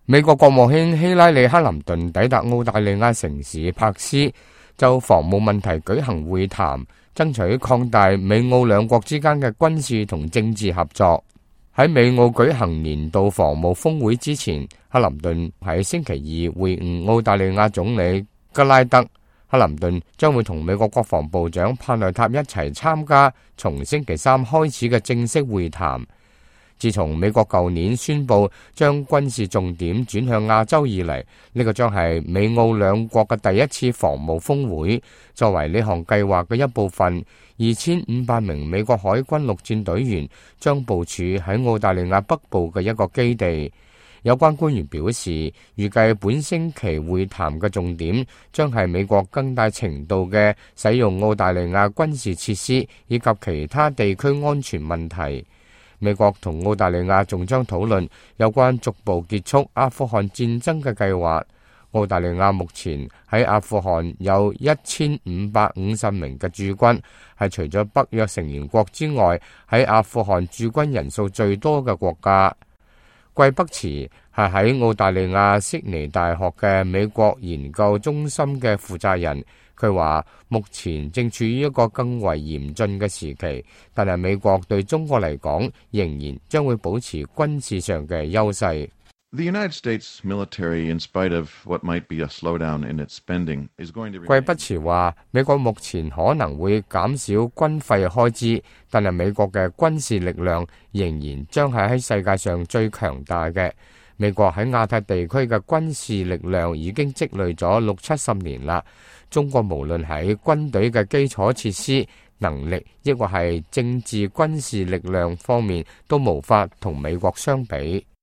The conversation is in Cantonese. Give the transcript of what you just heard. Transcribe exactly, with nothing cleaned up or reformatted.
美國國務卿希拉里·克林頓抵達澳大利亞城市柏斯，就防務問題舉行會談，爭取擴大美澳兩國之間嘅軍事同政治合作。喺美澳舉行年度防務峰會之前，克林頓喺星期二會晤澳大利亞總理吉拉德。克林頓將會同美國國防部長帕內塔一齊參加從星期三開始嘅正式會談。自從美國舊年宣布將軍事重點轉向亞洲以嚟，呢個將係美澳兩國嘅第一次防務峰會。作為呢項計劃嘅一部分，二千五百名美國海軍陸戰隊員將部署喺澳大利亞北部嘅一個基地。有關官員表示，預計本星期會談嘅重點將係美國更大程度嘅使用澳大利亞軍事設施以及其他地區安全問題。美國同澳大利亞仲將討論有關逐步結束阿富汗戰爭嘅計劃。澳大利亞目前喺阿富汗有一千五百五十名嘅駐軍，係除咗北約成員國之外，喺阿富汗駐軍人數最多嘅國家。季北茨係喺澳大利亞悉尼大學嘅美國研究中心嘅負責人。佢話目前正處於一個更為嚴峻嘅時期，但係美國對中國嚟講仍然將會保持軍事上嘅優勢。The United States military, in spite of what might be a slowdown in its spending, is going to. 季北茨話，美國目前可能會減少軍費開支，但係美國嘅軍事力量仍然將係喺世界上最強大嘅。美國喺亞太地區嘅軍事力量已經積累咗六七十年啦。中國無論喺軍隊嘅基礎設施、能力，抑或係政治軍事力量方面，都無法同美國相比。